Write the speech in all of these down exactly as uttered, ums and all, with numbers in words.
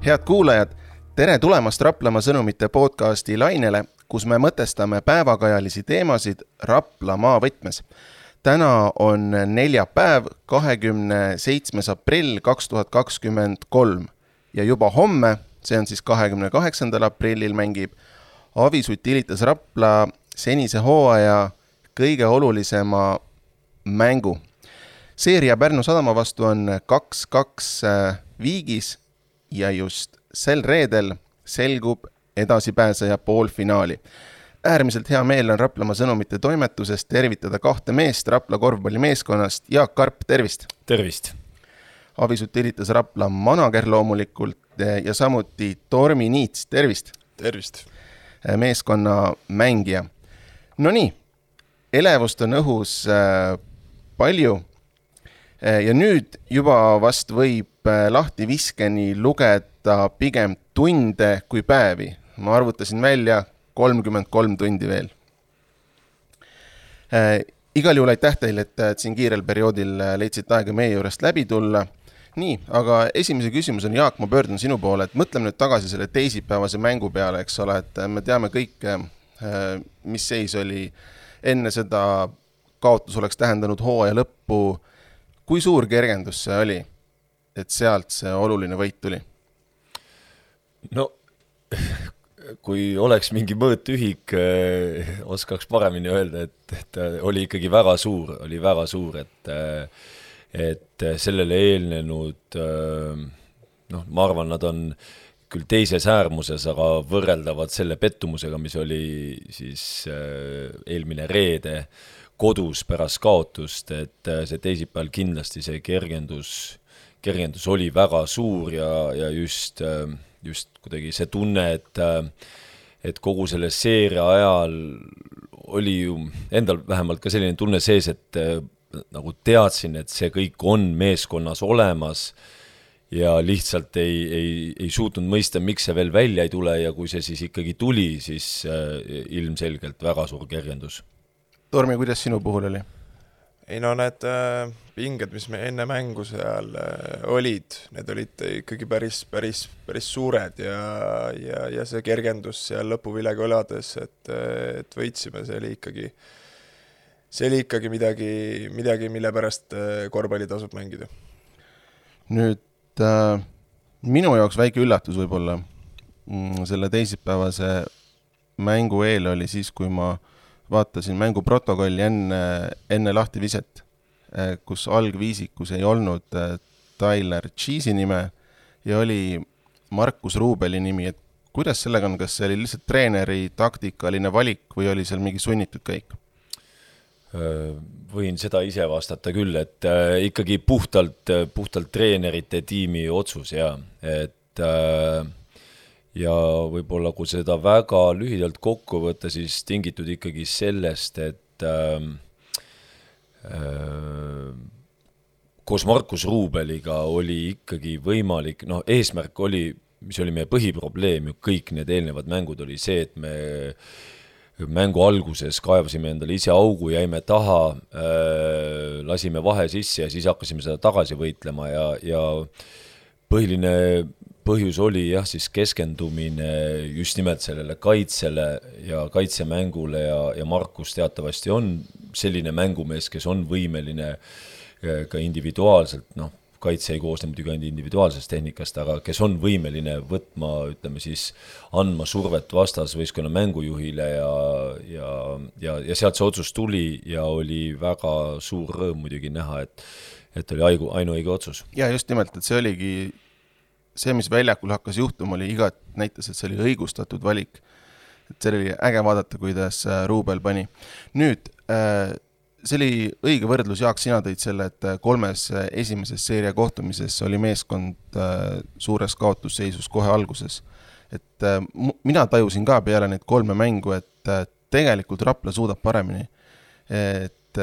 Head kuulajad, tere tulemast Raplamaa sõnumite podcasti lainele, kus me mõtestame päevakajalisi teemasid Rapla maavõtmes. Täna on neljapäev, kahekümne seitsmes aprill kaks tuhat kakskümmend kolm ja juba homme, see on siis kahekümne kaheksandal aprillil, mängib Avis Utilitas Rapla senise hooaja kõige olulisema mängu. Seeria Pärnu Sadama vastu on kaks kaks viigis ja just sel reedel selgub edasipääseja poolfinaali. Äärmiselt hea meel on Raplamaa sõnumite toimetusest tervitada kahte meest Rapla korvpallimeeskonnast. Jaak Karp, tervist! Tervist! Avis Utilitas Rapla manager loomulikult ja samuti Tormi Niits, tervist! Tervist! Meeskonna mängija. No nii, elevust on õhus palju ja nüüd juba vast võib lahti viskeni lugeda pigem tunde kui päevi. Ma arvutasin välja kolmkümmend kolm tundi veel. Igal juhul aitäh teile, et siin kiirel perioodil leidsid aega meie juurest läbi tulla. Nii, aga esimese küsimus on, Jaak, ma pöördun sinu poole, et mõtleme nüüd tagasi selle teisipäevase mängu peale, eks ole, et me teame kõik, mis seis oli enne seda kaotus oleks tähendanud hooaja lõppu. Kui suur kergendus see oli, et sealt see oluline võit tuli? No, kui oleks mingi mõõtühik, oskaks paremini öelda, et, et oli ikkagi väga suur, oli väga suur, et et sellele eelnenud, noh, ma arvan, nad on küll teises äärmuses, aga võrreldavad selle pettumusega, mis oli siis eelmine reede kodus pärast kaotust, et see teisipäeval kindlasti see kergendus, kergendus oli väga suur ja, ja just, just kuidagi see tunne, et, et kogu selle seeria ajal oli ju endal vähemalt ka selline tunne sees, et nagu teadsin, et see kõik on meeskonnas olemas ja lihtsalt ei, ei, ei suutnud mõista, miks see veel välja ei tule ja kui see siis ikkagi tuli, siis ilmselgelt väga suur kergendus. Tormi, kuidas sinu puhul oli? Ei no need äh, pinged, mis me enne mängu seal äh, olid, need olid ikkagi päris, päris, päris suured ja, ja, ja see kergendus seal lõpuvilega olades, et, et võitsime, see oli ikkagi, see oli ikkagi midagi, midagi, mille pärast korvpalli tasub mängida. Nüüd äh, minu jaoks väike üllatus võib-olla mm, selle teisipäevase mängu eel oli siis, kui ma vaatasin mängu protokolli enne, enne lahti viset, kus algviisikus ei olnud Tyler Cheese'i nime ja oli Markus Ruubeli nimi. Et kuidas sellega on, kas see oli lihtsalt treeneri taktikaline valik või oli seal mingi sunnitud käik? Võin seda ise vastata küll, et äh, ikkagi puhtalt, puhtalt treenerite tiimi otsus ja, et äh, ja võib-olla kui seda väga lühidalt kokku võtta, siis tingitud ikkagi sellest, et äh, äh, koos Markus Ruubeliga oli ikkagi võimalik, noh eesmärk oli, mis oli meie põhiprobleem, ju kõik need eelnevad mängud oli see, et me mängu alguses kaevasime endale ise augu, jäime taha, äh, lasime vahe sisse ja siis hakkasime seda tagasi võitlema ja, ja põhiline põhjus oli jah, siis keskendumine just nimelt sellele kaitsele ja kaitsemängule ja, ja Markus teatavasti on selline mängumees, kes on võimeline ka individuaalselt, noh, kaitse ei koosne muidugi ainult individuaalsest tehnikast, aga kes on võimeline võtma, ütleme siis, andma survet vastas võistkonna mängujuhile ja, ja, ja, ja sealt see otsus tuli ja oli väga suur rõõm muidugi näha, et, et oli aigu, ainuõige otsus. Ja just nimelt, et see oligi see, mis väljakul hakkas juhtuma, oli igat näitas, et see oli õigustatud valik. Et see oli äge vaadata, kuidas Ruubel pani. Nüüd, see oli õige võrdlus, Jaak, sina tõid selle, et kolmes esimeses seeria kohtumises oli meeskond suures kaotusseisus kohe alguses. Et mina tajusin ka peale neid kolme mängu, et tegelikult Rapla suudab paremini. Et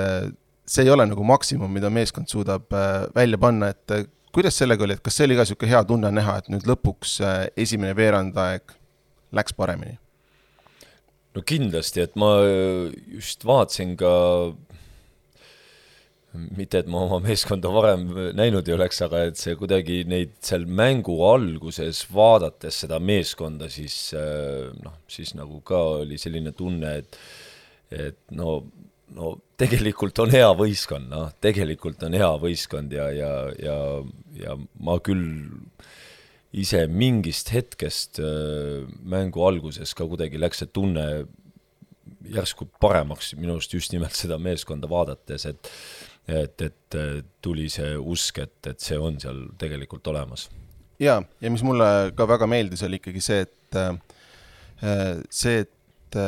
see ei ole nagu maksimum, mida meeskond suudab välja panna, et kuidas sellega oli, et kas see oli ka siuke hea tunne näha, et nüüd lõpuks esimene veerandaeg läks paremini? No kindlasti, et ma just vaatasin ka mitte, et ma oma meeskonda varem näinud ei oleks, aga et see kuidagi neid seal mängu alguses vaadates seda meeskonda, siis, noh, siis nagu ka oli selline tunne, et, et no, no tegelikult on hea võistkond, noh, tegelikult on hea võistkond ja, ja, ja, ja ma küll ise mingist hetkest mängu alguses ka kuidagi läks see tunne järsku paremaks minust just nimelt seda meeskonda vaadates, et Et, et tuli see usk, et, et see on seal tegelikult olemas. Ja, ja mis mulle ka väga meeldis, oli ikkagi see, et see, et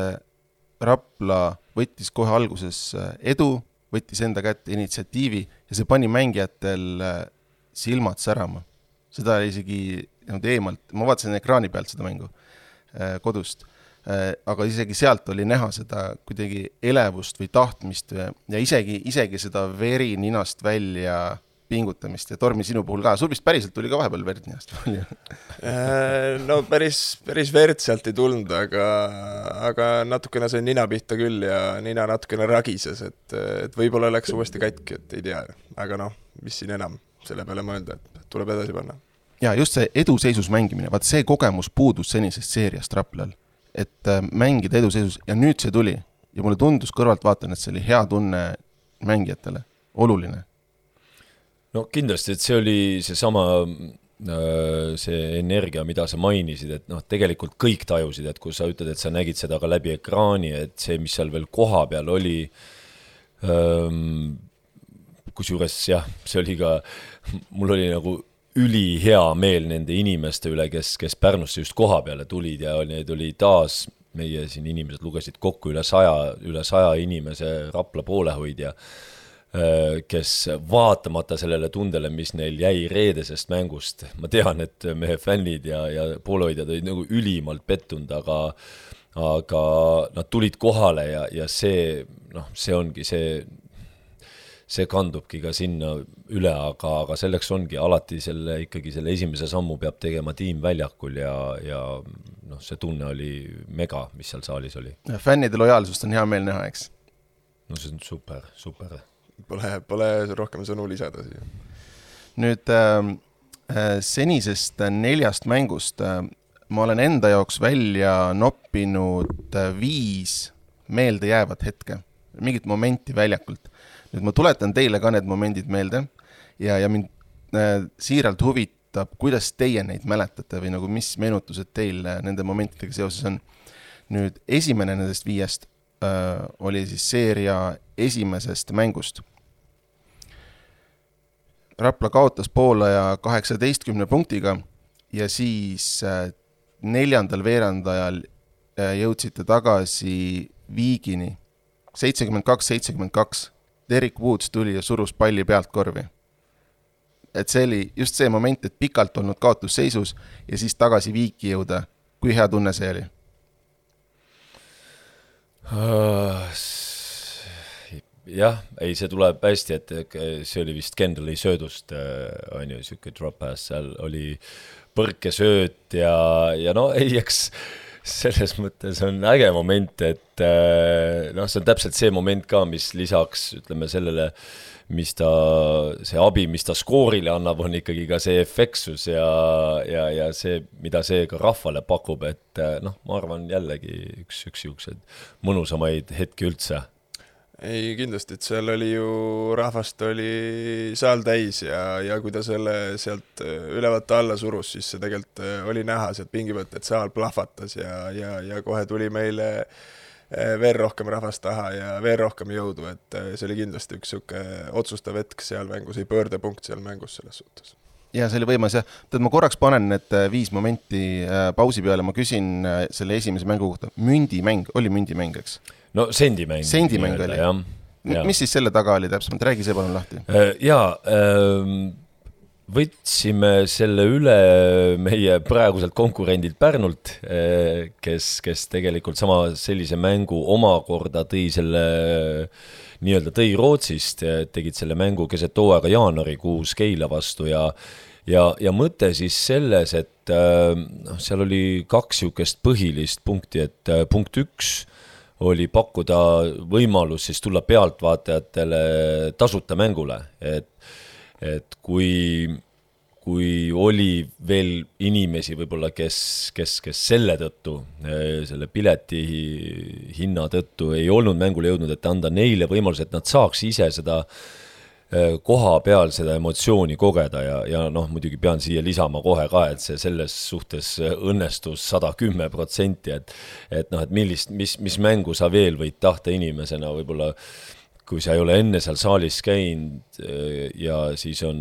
Rapla võttis kohe alguses edu, võttis enda kätte initsiatiivi ja see pani mängijatel silmad särama. Seda isegi eemalt, ma vaatasin ekraani pealt seda mängu kodust, aga isegi sealt oli näha seda kuidagi elevust või tahtmist ja isegi, isegi seda veri ninast välja pingutamist ja Tormi sinu puhul ka. Sul vist päriselt tuli ka vahepeal verd ninast palju? No päris, päris verd sealt ei tulnud, aga, aga natukene sai nina pihta küll ja nina natukene ragises, et, et võib-olla läks uuesti katki, et ei tea. Aga noh, mis siin enam selle peale mõelda, et tuleb edasi panna. Ja just see eduseisus mängimine, vaat see kogemus puudus senisest seeriast Raplal. Et mängida eduseisus ja nüüd see tuli ja mulle tundus kõrvalt vaatan, et see oli hea tunne mängijatele, oluline. No kindlasti, et see oli see sama see energia, mida sa mainisid, et noh, tegelikult kõik tajusid, et kui sa ütled, et sa nägid seda ka läbi ekraani, et see, mis seal veel koha peal oli, kusjuures jah, see oli ka, mul oli nagu üli hea meel nende inimeste üle, kes, kes Pärnusse just koha peale tulid ja need oli taas, meie siin inimesed lugesid kokku üle saja, üle saja inimese Rapla poolehoidja, kes vaatamata sellele tundele, mis neil jäi reedesest mängust, ma tean, et mehe fännid ja, ja poolehoidjad olid nagu ülimalt pettunud, aga, aga nad tulid kohale ja, ja see, noh, see ongi see see kandubki ka sinna üle, aga, aga selleks ongi alati selle, ikkagi selle esimese sammu peab tegema tiim väljakul ja, ja noh, see tunne oli mega, mis seal saalis oli. Fännide lojaalsust on hea meel näha, eks? No see on super, super. Pole, pole rohkem sõnu lisada siia. Nüüd äh, senisest neljast mängust äh, ma olen enda jaoks välja noppinud viis meelde jäävat hetke, mingit momenti väljakult. Nüüd ma tuletan teile ka need momendid meelde ja, ja mind äh, siiralt huvitab, kuidas teie neid mäletate või nagu mis meenutused teil nende momentidega seoses on. Nüüd esimene nendest viiest äh, oli siis seeria esimesest mängust. Rapla kaotas poolaja kaheksateistkümne punktiga ja siis äh, neljandal veerandajal äh, jõudsite tagasi viigini seitsekümmend kaks seitsekümmend kaks. Derek Woods tuli ja surus palli pealt korvi. Et see oli just see moment, et pikalt olnud kaotusseisus ja siis tagasi viiki jõuda. Kui hea tunne see oli? Jah, ei, see tuleb hästi, et see oli vist Kendalli söödust, on ju, siuke drop pass, seal oli põrkesööt ja, ja no ei, eks selles mõttes on äge moment, et noh, see on täpselt see moment ka, mis lisaks, ütleme sellele, mis ta, see abi, mis ta skoorile annab, on ikkagi ka see efektsus ja, ja, ja see, mida see ka rahvale pakub, et noh, ma arvan jällegi üks, üks juuksed mõnusamaid hetki üldse. Ei, kindlasti, et seal oli ju, rahvast oli saal täis ja, ja kui ta selle sealt ülevalt alla surus, siis see tegelikult oli näha sealt pingi pealt, et saal plahvatas ja, ja, ja kohe tuli meile veel rohkem rahvast taha ja veel rohkem jõudu, et see oli kindlasti üks suke otsustav hetk seal mängus, ei pöördepunkt seal mängus selles suhtes. Ja see oli võimas ja tead, ma korraks panen need viis momenti pausi peale, ma küsin selle esimese mängu kohta. Mündimäng, oli mündimäng, eks? No sendimäng. Sendimäng oli. Ja, ja. Mis siis selle taga oli täpsemalt? Räägi see palun lahti. Jaa, võtsime selle üle meie praeguselt konkurendilt Pärnult, kes, kes tegelikult sama sellise mängu omakorda tõi selle nii-öelda tõi Rootsist, tegid selle mängu keset hooaega jaanuarikuus Keila vastu ja ja, ja mõte siis selles, et no, seal oli kaks siukest põhilist punkti, et punkt üks oli pakkuda võimalus siis tulla pealtvaatajatele tasuta mängule, et, et kui, kui oli veel inimesi võib-olla, kes, kes, kes selle tõttu, selle pileti hinna tõttu ei olnud mängule jõudnud, et anda neile võimalus, et nad saaks ise seda koha peal seda emotsiooni kogeda ja, ja noh, muidugi pean siia lisama kohe ka, et see selles suhtes õnnestus sada kümme protsenti, et, et noh, et millist, mis, mis mängu sa veel võid tahta inimesena, võib-olla kui sa ei ole enne seal saalis käinud ja siis on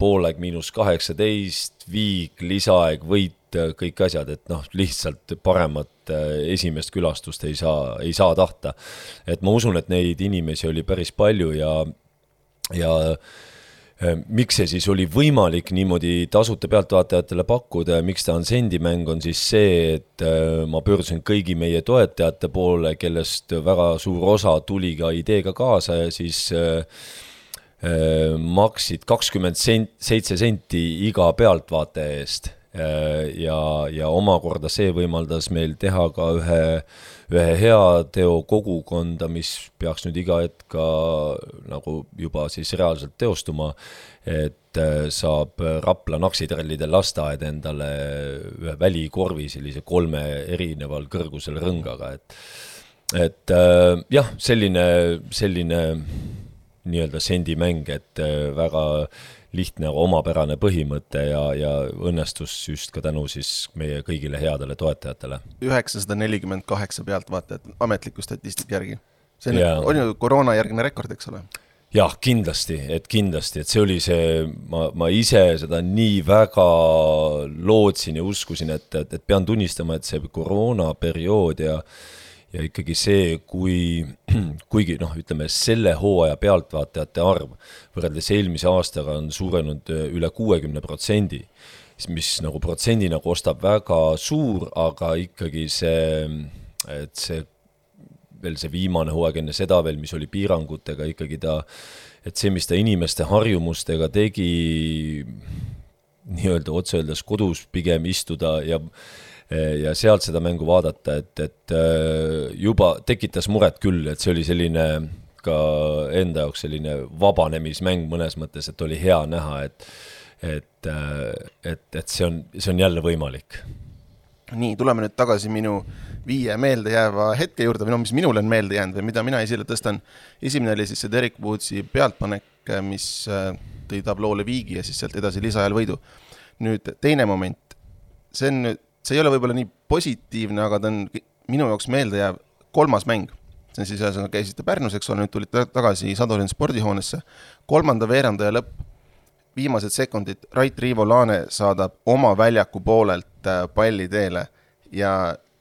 poolaeg miinus kaheksateist, viik, lisaaeg, võit, kõik asjad, et noh, lihtsalt paremat esimest külastust ei saa, ei saa tahta. Et ma usun, et neid inimesi oli päris palju ja ja miks see siis oli võimalik niimoodi tasuta pealtvaatajatele pakkuda ja miks ta on sendimäng on siis see, et ma pöördusin kõigi meie toetajate poole, kellest väga suur osa tuli ka ideega kaasa ja siis maksid kakskümmend seitse senti iga pealtvaataja eest ja, ja omakorda see võimaldas meil teha ka ühe ühe hea teo kogukonda, mis peaks nüüd iga hetk ka nagu juba siis reaalselt teostuma, et saab Rapla naksitrallide lasteaed endale ühe välikorvi sellise kolme erineval kõrgusel rõngaga, et, et jah, selline, selline nii-öelda sendimäng, et väga lihtne omapärane põhimõte ja, ja õnnestus just ka tänu siis meie kõigile headele toetajatele. üheksasada nelikümmend kaheksa pealtvaatajat ametliku statistika järgi. See on, on ju koroona järgne rekord, eks ole? Jah, kindlasti, et kindlasti, et see oli see, ma, ma ise seda nii väga lootsin ja uskusin, et, et, et pean tunnistama, et see koroona periood ja ja ikkagi see, kui, kuigi noh, ütleme, selle hooaja pealtvaatajate arv võrreldes eelmise aastaga on suurenud üle kuuekümne protsendi, mis nagu protsendina kostab väga suur, aga ikkagi see, et see veel see viimane hooaeg enne seda veel, mis oli piirangutega, ikkagi ta, et see, mis ta inimeste harjumustega tegi nii-öelda otse öeldes kodus pigem istuda ja ja sealt seda mängu vaadata, et, et juba tekitas muret küll, et see oli selline ka enda jaoks selline vabanemismäng mõnes mõttes, et oli hea näha, et, et, et, et see on, see on jälle võimalik. Nii, tuleme nüüd tagasi minu viie meelde jääva hetke juurde, või no mis minul on meelde jäänud või mida mina esile tõstan. Esimene oli siis see Derek Woodsi pealtpanek, mis tõi tabloole viigi ja siis sealt edasi lisaajal võidu. Nüüd teine moment, see on nüüd see ei ole võib-olla nii positiivne, aga ta on minu jaoks meelde jääv kolmas mäng. See on siis ühesõnaga käisite Pärnus, eks ole, nüüd tulid tagasi Sadolin spordihoonesse. Kolmanda veerandaja lõpp, viimased sekundid, Rait Riivo Laane saadab oma väljaku poolelt palli teele ja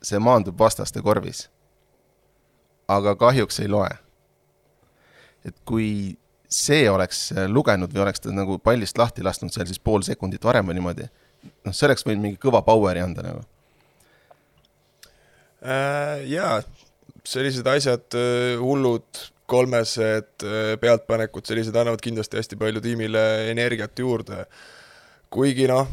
see maandub vastaste korvis. Aga kahjuks ei loe. Et kui see oleks lugenud või oleks ta nagu pallist lahti lasknud seal siis pool sekundit varem või niimoodi, noh, see oleks võinud mingi kõva poweri anda nagu. Äh, jaa, sellised asjad, hullud, kolmesed pealtpanekud, sellised annavad kindlasti hästi palju tiimile energiat juurde. Kuigi noh,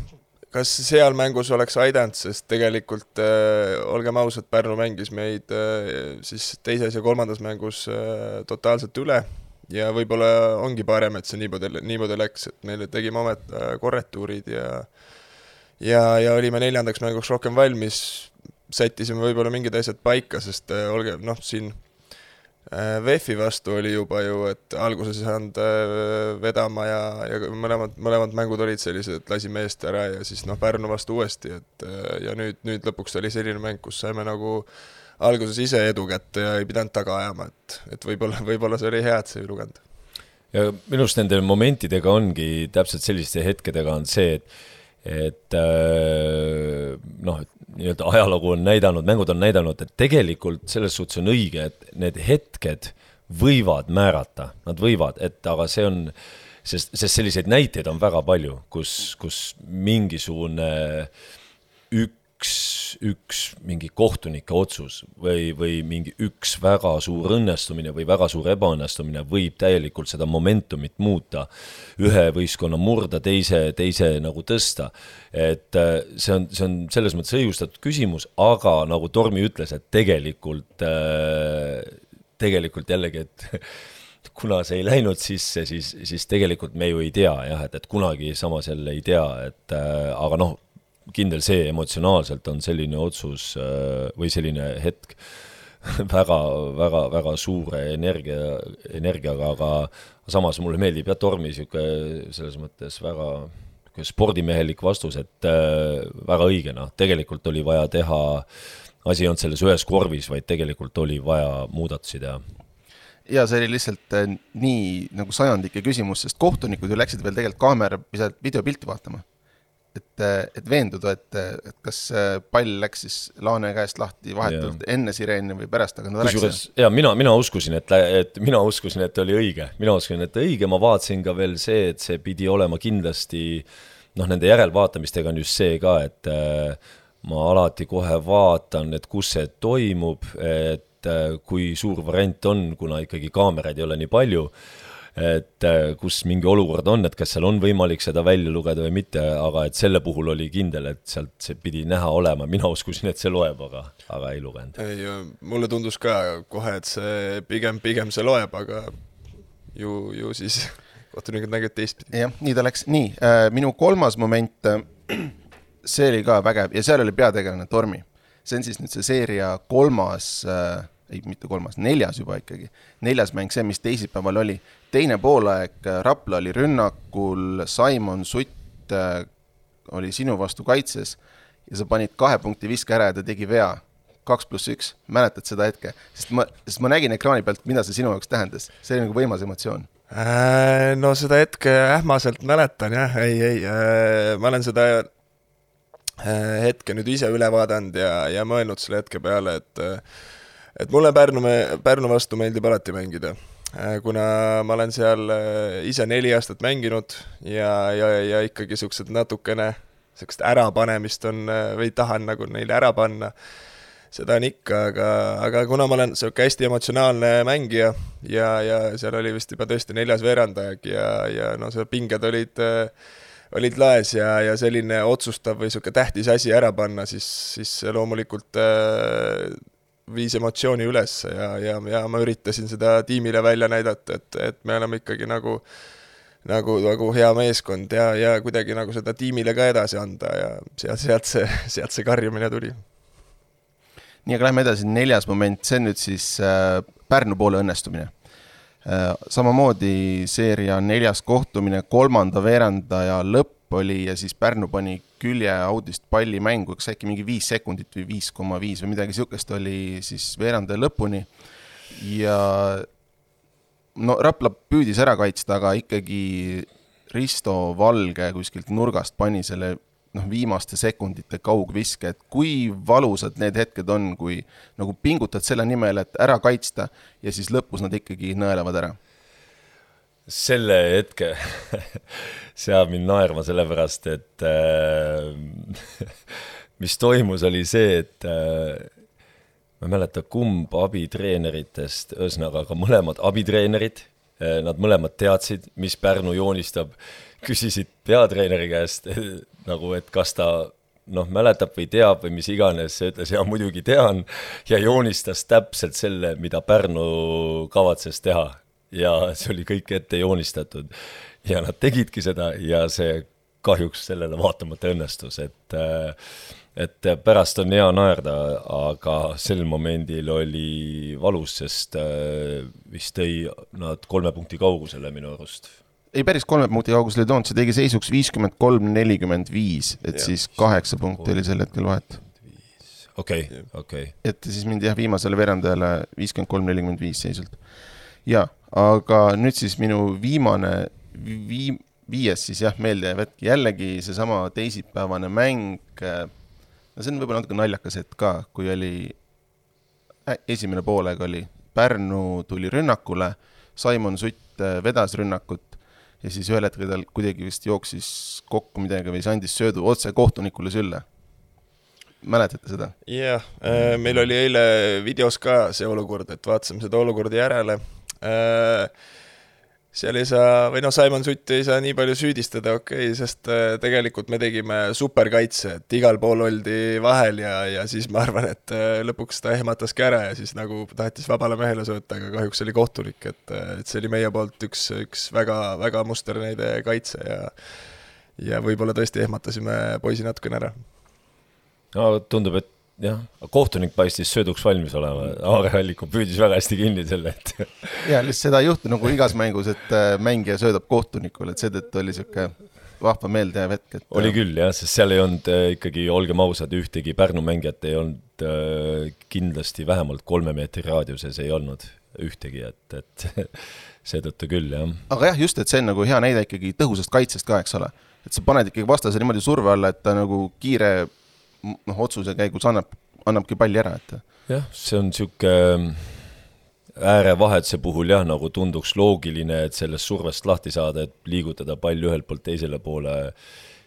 kas seal mängus oleks aidanud, sest tegelikult äh, olgem ausad, Pärnu mängis meid äh, siis teises ja kolmandas mängus äh, totaalselt üle ja võib-olla ongi parem, et see niimoodi, niimoodi läks, et meile tegime omet äh, korretuurid ja Ja, ja olime neljandaks mänguks rohkem valmis, sättisime võib-olla mingid asjad paika, sest äh, olge, noh, siin äh, V E F-i vastu oli juba ju, et alguses ei saanud äh, vedama ja, ja mõlemad, mõlemad mängud olid sellised, et lasime eest ära ja siis noh, Pärnu vastu uuesti, et äh, ja nüüd, nüüd lõpuks oli selline mäng, kus saime nagu alguses ise edu kätte ja ei pidanud taga ajama, et, et võib-olla, võib-olla see oli hea, et see ei luganud. Ja minust nende momentidega ongi täpselt selliste hetkedega on see, et et noh, nii-öelda ajalugu on näidanud, mängud on näidanud, et tegelikult selles suhtes on õige, et need hetked võivad määrata, nad võivad, et aga see on, sest, sest selliseid näiteid on väga palju, kus, kus mingisugune üks üks, üks mingi kohtunike otsus või, või mingi üks väga suur õnnestumine või väga suur ebaõnnestumine võib täielikult seda momentumit muuta, ühe võistkonna murda, teise, teise nagu tõsta. Et see on, see on selles mõttes õigustatud küsimus, aga nagu Tormi ütles, et tegelikult, tegelikult jällegi, et kuna see ei läinud sisse, siis, siis tegelikult me ju ei tea, jah, et, et kunagi samas jälle ei tea, et äh, aga noh, kindel see emotsionaalselt on selline otsus äh, või selline hetk väga, väga, väga suure energia, energiaga, aga samas mulle meeldib ja Tormi siuke selles mõttes väga spordimehelik vastus, et äh, väga õigena, tegelikult oli vaja teha, asi on selles ühes korvis, vaid tegelikult oli vaja muudatusi teha. Ja see oli lihtsalt äh, nii nagu sajandike küsimus, sest kohtunikud ju läksid veel tegelikult kaamera videopilti vaatama. Et, et veenduda, et, et kas pall läks siis Laane käest lahti vahetult ja. Enne sireeni või pärast, aga nad läks. Ja mina, mina uskusin, et, et mina uskusin, et oli õige. Mina uskusin, et õige, ma vaatasin ka veel see, et see pidi olema kindlasti, noh, nende järelvaatamistega on just see ka, et äh, ma alati kohe vaatan, et kus see toimub, et kui suur variant on, kuna ikkagi kaameraid ei ole nii palju, et kus mingi olukord on, et kas seal on võimalik seda välja lugeda või mitte, aga et selle puhul oli kindel, et sealt see pidi näha olema. Mina uskusin, et see loeb, aga, aga ei lugenud. Ei, mulle tundus ka kohe, et see pigem, pigem see loeb, aga ju, ju siis kohtunikud nägid teistpidi. Jah, nii ta läks. Nii, minu kolmas moment, see oli ka vägev ja seal oli peategelane Tormi. See on siis nüüd see seeria kolmas ei, mitte kolmas, neljas juba ikkagi. Neljas mäng see, mis teisipäeval oli. Teine poolaeg, Rapla oli rünnakul, Simon Sutt oli sinu vastu kaitses ja sa panid kahe punkti viske ära ja ta tegi vea. Kaks pluss üks, mäletad seda hetke? Sest ma, sest ma nägin ekraani pealt, mida see sinu jaoks tähendas. See oli nagu võimas emotsioon. Äh, no seda hetke ähmaselt mäletan, jah. Ei, ei, äh, ma olen seda hetke nüüd ise üle vaadanud ja, ja mõelnud selle hetke peale, et et mulle Pärnu, Pärnu vastu meeldib alati mängida, kuna ma olen seal ise neli aastat mänginud ja, ja, ja ikkagi siuksed natukene siukest ärapanemist on või tahan nagu neile ära panna. Seda on ikka, aga, aga kuna ma olen siuke hästi emotsionaalne mängija ja, ja seal oli vist juba tõesti neljas veerandajag ja, ja no see pinged olid, olid laes ja, ja selline otsustav või siuke tähtis asi ära panna, siis, siis loomulikult äh, viis emotsiooni üles ja, ja, ja ma üritasin seda tiimile välja näidata, et, et me oleme ikkagi nagu, nagu, nagu hea meeskond ja, ja kuidagi nagu seda tiimile ka edasi anda ja sealt, sealt, see, sealt see karjumine tuli. Nii, aga lähme edasi, neljas moment, see on nüüd siis äh, Pärnu poole õnnestumine. Äh, samamoodi seeria neljas kohtumine, kolmanda veerandaja lõpp oli ja siis Pärnu pani külje audist palli mängu, kas äkki mingi viis sekundit või viis koma viis või midagi siukest oli siis veerandaja lõpuni ja no Rapla püüdis ära kaitsta, aga ikkagi Risto Valge kuskilt nurgast pani selle noh, viimaste sekundite kaugviske, et kui valusad need hetked on, kui nagu pingutad selle nimel, et ära kaitsta ja siis lõpus nad ikkagi nõelevad ära. Selle hetke seab mind naerma sellepärast, et äh, mis toimus oli see, et äh, ma ei mäleta kumb abitreeneritest, ühesõnaga ka mõlemad abitreenerid, äh, nad mõlemad teadsid, mis Pärnu joonistab, küsisid peatreeneri käest nagu, et kas ta noh, mäletab või teab või mis iganes, see ütles, ja muidugi tean ja joonistas täpselt selle, mida Pärnu kavatses teha. Ja see oli kõik ette joonistatud ja nad tegidki seda ja see kahjuks sellele vaatamata õnnestus, et, et pärast on hea naerda, aga sel momendil oli valus, sest vist tõi nad kolme punkti kaugusele minu arust. Ei, päris kolme punkti kaugusele toonud, see tegi seisuks viiskümmend kolm nelikümmend viis, et ja, siis kaheksa punkti oli sel hetkel vahet. Okei, okay, okei. Okay. Et siis mindi jah viimasele verandajale viiskümmend kolm nelikümmend viis seisult. Ja, aga nüüd siis minu viimane vii, viies siis jah meelde ja võtki jällegi see sama teisipäevane mäng. No see on võib-olla natuke naljakas, et ka kui oli äh, esimene poolega oli Pärnu tuli rünnakule, Simon Sutt vedas rünnakut ja siis ühel hetkel tal kuidagi vist jooksis kokku midagi või see andis söödu otse kohtunikule sülle. mäletate seda? Jah, meil oli eile videos ka see olukord, et vaatasime seda olukorda järele. Seal ei saa, või no Simon Sutt ei saa nii palju süüdistada, okei, okay, sest tegelikult me tegime superkaitse, et igal pool oldi vahel ja, ja siis ma arvan, et lõpuks ta ehmataski ära ja siis nagu tahtis vabale mehele sööta, aga kahjuks oli kohtunik, et, et see oli meie poolt üks, üks väga, väga musterneide kaitse ja, ja võib-olla tõesti ehmatasime poisi natukene ära. No tundub, et jah, kohtunik paistis sööduks valmis olema, Aare Alliku püüdis väga hästi kinni selle, et ja, lihtsalt seda ei juhtu nagu igas mängus, et mängija söödab kohtunikule, et seetõttu oli siuke vahva meeldejääv hetk. Et... oli küll jah, sest seal ei olnud ikkagi, olgem ausad, ühtegi Pärnu mängijat ei olnud kindlasti vähemalt kolme meetri raadiuses ei olnud ühtegi, et, et seetõttu küll jah. Aga jah, just, et see on nagu hea näide ikkagi tõhusast kaitsest ka, eks ole, et sa paned ikkagi vastase niimoodi surve alla, et ta nagu kiire noh, otsuse käigus annab, annabki palli ära, et jah, see on siuke äärevahetuse puhul jah, nagu tunduks loogiline, et sellest survest lahti saada, et liigutada pall ühelt poolt teisele poole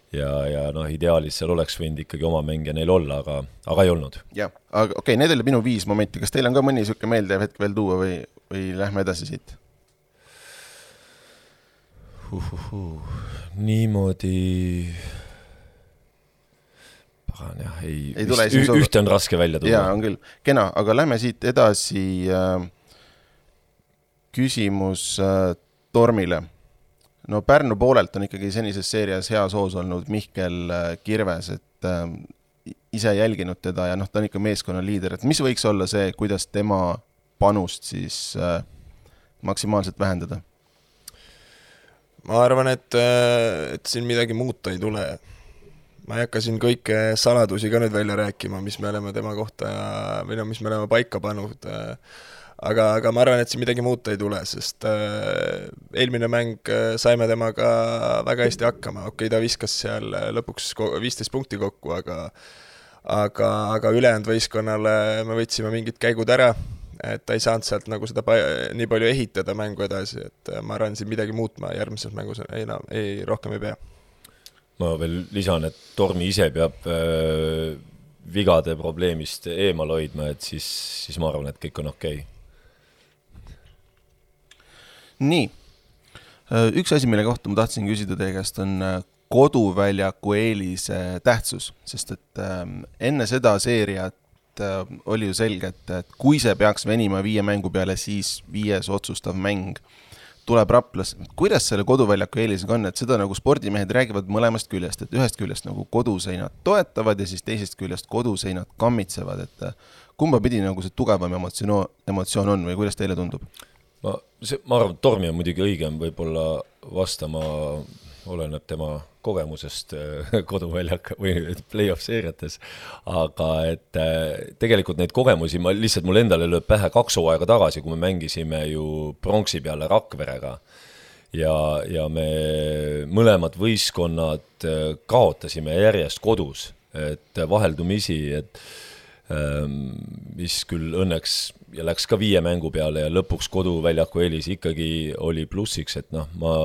ja, ja noh, ideaalis seal oleks võinud ikkagi oma mängija neil olla, aga, aga ei olnud. jah, aga okei, okay, need oli minu viis momenti, kas teil on ka mõni siuke meeldev hetk veel tuua või, või lähme edasi siit? Uhuhu. Niimoodi jah, ei, ei vist, ü, ühte on raske välja tuua. Jaa, on küll. Kena, aga lähme siit edasi äh, küsimus äh, Tormile. No Pärnu poolelt on ikkagi senises seerias heas hoos olnud Mihkel äh, Kirves, et äh, ise jälginud teda ja noh, ta on ikka meeskonna liider, et mis võiks olla see, kuidas tema panust siis äh, maksimaalselt vähendada? Ma arvan, et, et siin midagi muuta ei tule. Ma ei hakka siin kõike saladusi ka nüüd välja rääkima, mis me oleme tema kohta või no, mis me oleme paika pannud. Aga, aga ma arvan, et siin midagi muuta ei tule, sest eelmine mäng saime temaga väga hästi hakkama. Okei, ta viskas seal lõpuks viisteist punkti kokku, aga, aga, aga ülejäänud võistkonnale me võtsime mingid käigud ära, et ta ei saanud sealt nagu seda nii palju ehitada mängu edasi, et ma arvan, siin midagi muutma järgmises mängus ei, no, ei, rohkem ei pea. Ma veel lisan, et Tormi ise peab äh, vigade probleemist eemal hoidma, et siis, siis ma arvan, et kõik on okei. Nii, üks asi, mille kohta ma tahtsin küsida teie käest on koduväljaku eelise tähtsus, sest et äh, enne seda seeriat äh, oli ju selge, et, et kui see peaks venima viie mängu peale, siis viies otsustav mäng tuleb Raplas. Kuidas selle koduväljaku eelisega on, et seda nagu spordimehed räägivad mõlemast küljest, et ühest küljest nagu koduseinad toetavad ja siis teisest küljest koduseinad kammitsevad, et kumba pidi nagu see tugevam emotsioon, emotsioon on või kuidas teile tundub? Ma, see, ma arvan, et Tormi on muidugi õigem võib-olla vastama, oleneb tema kogemusest koduväljak või play-off seeriates, aga et tegelikult neid kogemusi, ma lihtsalt mul endale lööb pähe kaks hooaega tagasi, kui me mängisime ju pronksi peale Rakverega ja, ja me mõlemad võistkonnad kaotasime järjest kodus, et vaheldumisi, et mis küll õnneks ja läks ka viie mängu peale ja lõpuks koduväljaku eelis ikkagi oli plussiks, et noh, ma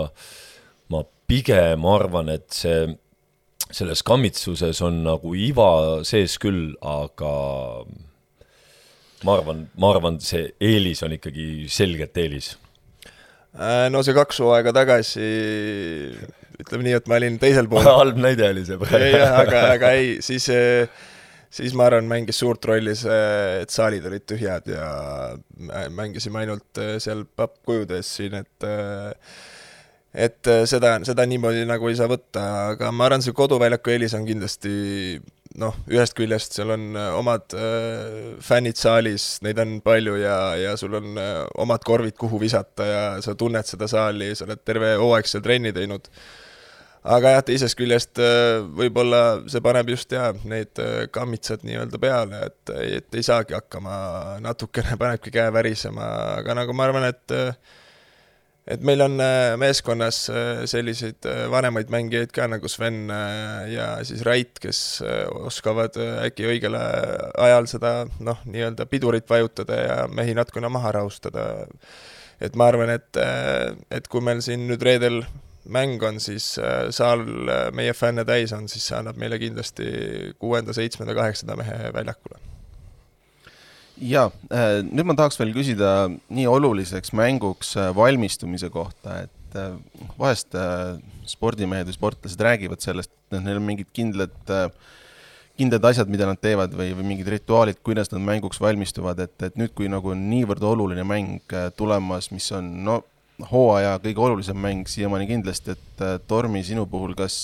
ma pigem arvan, et see, selles kammitsuses on nagu iva sees küll, aga ma arvan, ma arvan, see eelis on ikkagi selgelt eelis. No see kaks hooaega tagasi, ütleme nii, et ma olin teisel pool. Halb näide oli see praegu. Ja, aga, aga ei, siis, siis ma arvan, mängis suurt rolli see, et saalid olid tühjad ja mängisime ainult seal pappkujudes siin, et et seda, seda niimoodi nagu ei saa võtta, aga ma arvan, see koduväljaku eelis on kindlasti, noh, ühest küljest seal on omad äh, fännid saalis, neid on palju ja, ja sul on äh, omad korvid, kuhu visata ja sa tunned seda saali, sa oled terve hooaeg seal trenni teinud. Aga jah, teisest küljest äh, võib-olla see paneb just ja need äh, kammitsad nii-öelda peale, et, et ei saagi hakkama, natukene panebki käe värisema, aga nagu ma arvan, et äh, et meil on meeskonnas selliseid vanemaid mängijaid ka nagu Sven ja siis Rait, kes oskavad äkki õigele ajal seda noh, nii-öelda pidurit vajutada ja mehi natukene maha rahustada. Et ma arvan, et, et kui meil siin nüüd reedel mäng on siis saal meie fänne täis on, siis see annab meile kindlasti kuuenda, seitsmenda, kaheksanda mehe väljakule. Ja, nüüd ma tahaks veel küsida nii oluliseks mänguks valmistumise kohta, et vahest spordimehed või sportlased räägivad sellest, et neil on mingid kindlad, kindlad asjad, mida nad teevad või, või mingid rituaalid, kuidas nad mänguks valmistuvad, et, et nüüd, kui nagu on niivõrd oluline mäng tulemas, mis on no, hooaja kõige olulisem mäng siiamaani kindlasti, et Tormi sinu puhul, kas,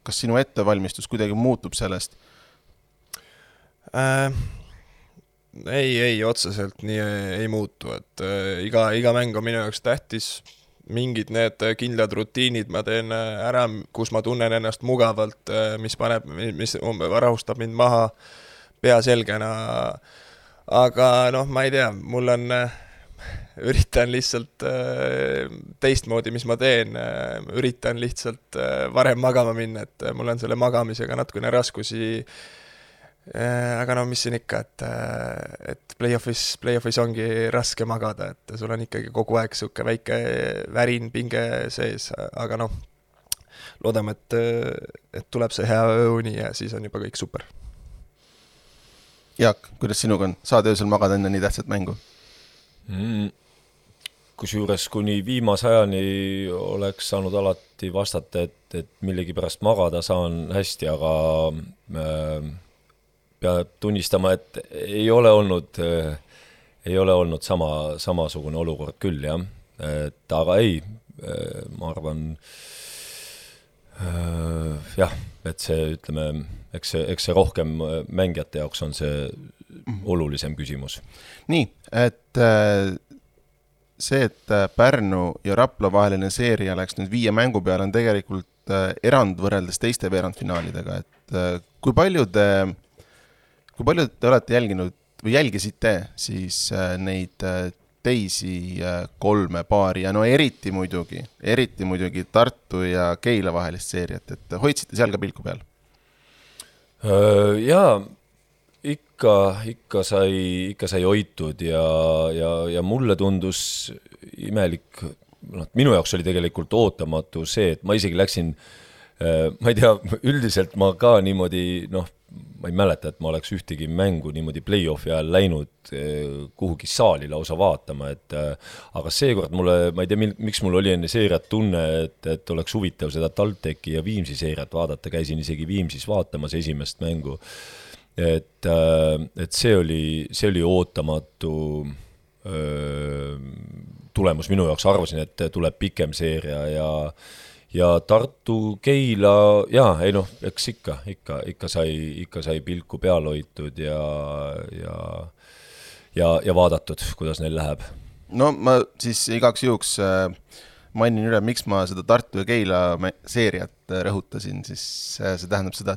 kas sinu ettevalmistus kuidagi muutub sellest? Äh... Ei, ei, otseselt nii ei muutu, et äh, iga, iga mäng on minu jaoks tähtis, mingid need kindlad rutiinid ma teen ära, kus ma tunnen ennast mugavalt, mis paneb, mis rahustab mind maha pea selgena, aga noh, ma ei tea, mul on, üritan lihtsalt äh, teistmoodi, mis ma teen, äh, üritan lihtsalt äh, varem magama minna, et mul on selle magamisega natukene raskusi. Aga no mis siin ikka, et, et play-offis, play-offis ongi raske magada, et sul on ikkagi kogu aeg suke väike värin, pinge sees, aga noh, loodame, et, et tuleb see hea ööuni ja siis on juba kõik super. Jaak, kuidas sinuga on? Saad öösel magada enne nii tähtsat mängu? Mm, kusjuures kuni viimasajani oleks saanud alati vastata, et, et millegi pärast magada saan hästi, aga äh, peab tunnistama, et ei ole olnud, ei ole olnud sama, samasugune olukord küll, jah. Et, aga ei, ma arvan, jah, et see, ütleme, eks see, eks see rohkem mängijate jaoks on see olulisem küsimus. Nii, et see, et Pärnu ja Rapla vaheline seeria läks nüüd viie mängu peale, on tegelikult erand võrreldes teiste veerandfinaalidega, et kui palju te Kui palju te olete jälginud või jälgisite siis neid teisi kolme paari ja no eriti muidugi, eriti muidugi Tartu ja Keila vahelist seeriat, et hoidsite seal ka pilku peal? Jaa, ikka, ikka sai, ikka sai hoitud ja, ja, ja mulle tundus imelik, no, minu jaoks oli tegelikult ootamatu see, et ma isegi läksin, ma ei tea, üldiselt ma ka niimoodi, noh, ma ei mäleta, et ma oleks ühtegi mängu niimoodi play-offi ajal läinud kuhugi saali lausa vaatama, et aga seekord mulle, ma ei tea, miks mul oli enne seeriat tunne, et, et oleks huvitav seda TalTechi ja Viimsi seeriat vaadata, käisin isegi Viimsis vaatamas esimest mängu, et, et see oli, see oli ootamatu öö, tulemus minu jaoks, arvasin, et tuleb pikem seeria ja ja Tartu, Keila, jaa, ei noh, eks ikka, ikka, ikka sai, ikka sai pilku peal hoitud ja, ja, ja, ja vaadatud, kuidas neil läheb. No ma siis igaks juhuks mainin üle, miks ma seda Tartu ja Keila seeriat rõhutasin, siis see tähendab seda,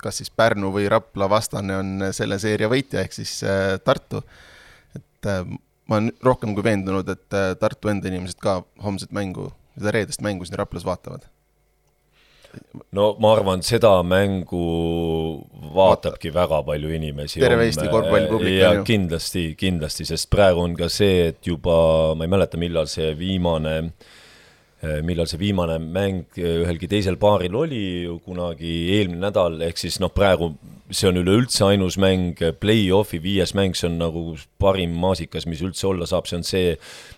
kas siis Pärnu või Rapla vastane on selle seeria võitja, ehk siis Tartu. Et ma olen rohkem kui veendunud, et Tartu enda inimesed ka homset mängu seda reedest mängu siin Raplas vaatavad? No ma arvan, seda mängu vaatabki Vaata. väga palju inimesi. Terve Eesti korvpallipublik. Ja kindlasti, kindlasti, sest praegu on ka see, et juba, ma ei mäleta, millal see viimane, millal see viimane mäng ühelgi teisel paaril oli, kunagi eelmine nädal, ehk siis noh, praegu see on üleüldse ainus mäng, play-offi viies mäng, see on nagu parim maasikas, mis üldse olla saab, see on see,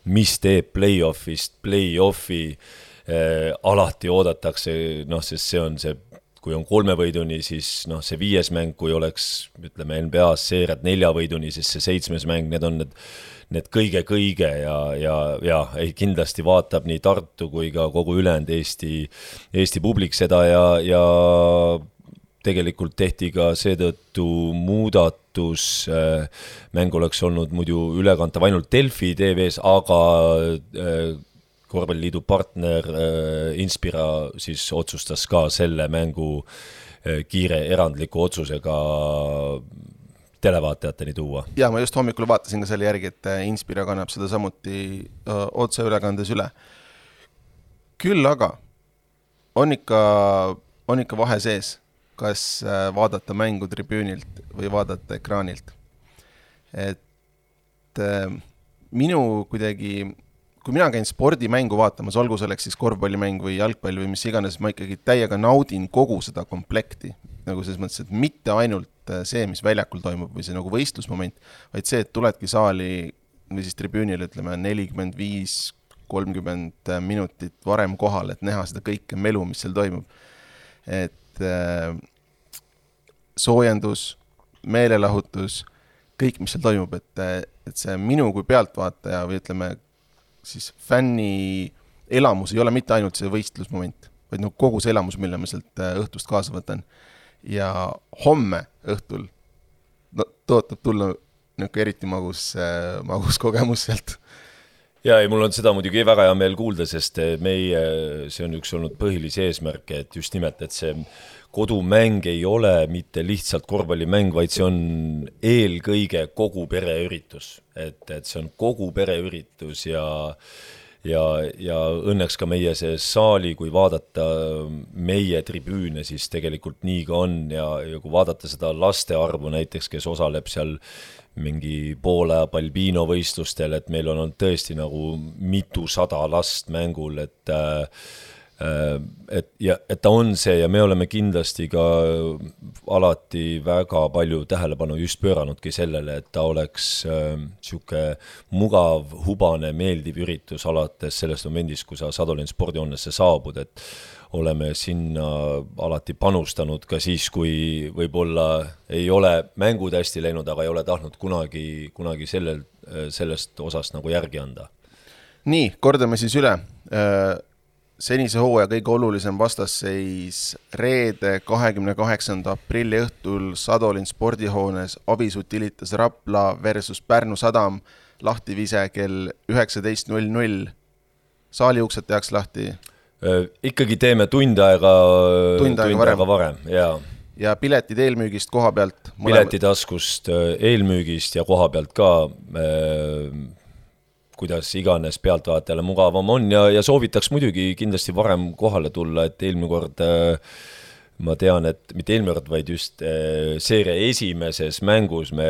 mis teeb play-offist, play-offi eh, alati oodatakse, noh, sest see on see, kui on kolme võiduni, siis noh, see viies mäng, kui oleks, ütleme, N B A-s seeriat nelja võiduni, siis see seitsmes mäng, need on need, need kõige-kõige ja, ja, ja ei, kindlasti vaatab nii Tartu kui ka kogu ülejäänud Eesti, Eesti publik seda ja, ja tegelikult tehti ka seetõttu muudatus, mäng oleks olnud muidu ülekantav ainult Delfi T V-s, aga korvpalliliidu partner Inspira siis otsustas ka selle mängu kiire erandliku otsusega televaatajateni tuua. Ja ma just hommikul vaatasin ka selle järgi, et Inspira kannab seda samuti otse ülekandes üle. Küll aga on ikka, on ikka vahe sees, kas vaadata mängu tribüünilt või vaadata ekraanilt. Et minu kuidagi kui mina käin spordimängu vaatamas, olgu selleks siis korvpallimäng või jalgpall või mis iganes, ma ikkagi täiega naudin kogu seda komplekti. Nagu selles mõttes, et mitte ainult see, mis väljakul toimub või see nagu võistlusmoment, vaid see, et tuledki saali või siis tribüünile, ütleme, nelikümmend viis kolmkümmend minutit varem kohal, et näha seda kõike melu, mis seal toimub. Et äh, soojendus, meelelahutus, kõik, mis seal toimub, et, et see minu kui pealtvaataja või ütleme, siis fänni elamus ei ole mitte ainult see võistlusmoment, vaid no kogu see elamus, mille ma sealt õhtust kaasa võtan. Ja homme õhtul no, tootab tulla niisugune eriti magus, magus kogemus sealt. Ja ei, mul on seda muidugi väga hea meel kuulda, sest meie, see on üks olnud põhilisi eesmärke, et just nimelt, et see kodumäng ei ole mitte lihtsalt korvpallimäng, vaid see on eelkõige kogu pereüritus. Et, et see on kogu pereüritus ja, ja, ja õnneks ka meie see saali, kui vaadata meie tribüüne, siis tegelikult nii ka on ja, ja kui vaadata seda laste arvu näiteks, kes osaleb seal mingi poole Balbino võistlustel, et meil on tõesti nagu mitu sada last mängul, et, et, ja, et ta on see ja me oleme kindlasti ka alati väga palju tähelepanu just pööranudki sellele, et ta oleks siuke mugav, hubane, meeldiv üritus alates sellest momendist, kui sa Sadolin spordihoonesse saabud, et oleme sinna alati panustanud ka siis, kui võib-olla ei ole mängud hästi läinud, aga ei ole tahtnud kunagi, kunagi sellel, sellest osast nagu järgi anda. Nii, kordame siis üle. Senise hooaja kõige olulisem vastasseis reede kahekümne kaheksanda aprilli õhtul Sadolin spordihoones Avis Utilitas Rapla versus Pärnu Sadam lahtivise kell üheksateist null null. Saali uksed tehakse lahti? Ikkagi teeme tund aega, tund aega varem, varem ja. ja piletid eelmüügist koha pealt? Piletitaskust eelmüügist ja koha pealt ka, kuidas iganes pealtvaatajale mugavam on ja, ja soovitaks muidugi kindlasti varem kohale tulla, et eelmine kord ma tean, et mitte eelmine kord, vaid just seeria esimeses mängus me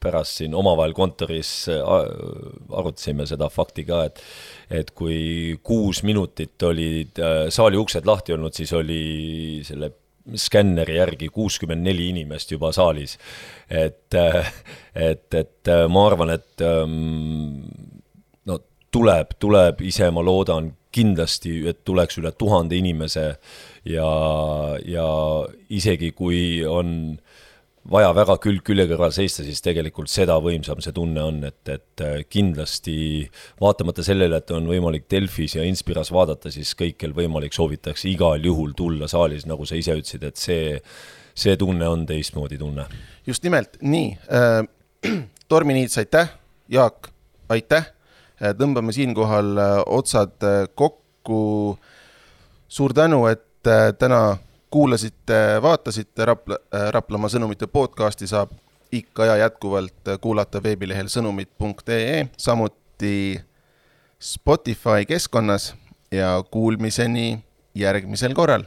pärast siin omavahel kontoris arutasime seda fakti ka, et et kui kuus minutit olid saali uksed lahti olnud, siis oli selle skänneri järgi kuuskümmend neli inimest juba saalis. Et, et, et ma arvan, et no, tuleb, tuleb ise, ma loodan kindlasti, et tuleks üle tuhande inimese ja, ja isegi kui on vaja väga külg külje kõrval seista, siis tegelikult seda võimsam see tunne on, et, et kindlasti vaatamata sellele, et on võimalik Delfis ja Inspiras vaadata, siis kõikel võimalik soovitakse igal juhul tulla saalis, nagu sa ise ütlesid, et see, see tunne on teistmoodi tunne. Just nimelt, nii. Äh, Tormi Niits, aitäh. Jaak, aitäh. Tõmbame siinkohal otsad kokku. Suur tänu, et täna kuulasite, vaatasite Rapla, Raplamaa sõnumite podcasti saab ikka ja jätkuvalt kuulata veebilehel sõnumid punkt ee, samuti Spotify keskkonnas ja kuulmiseni järgmisel korral.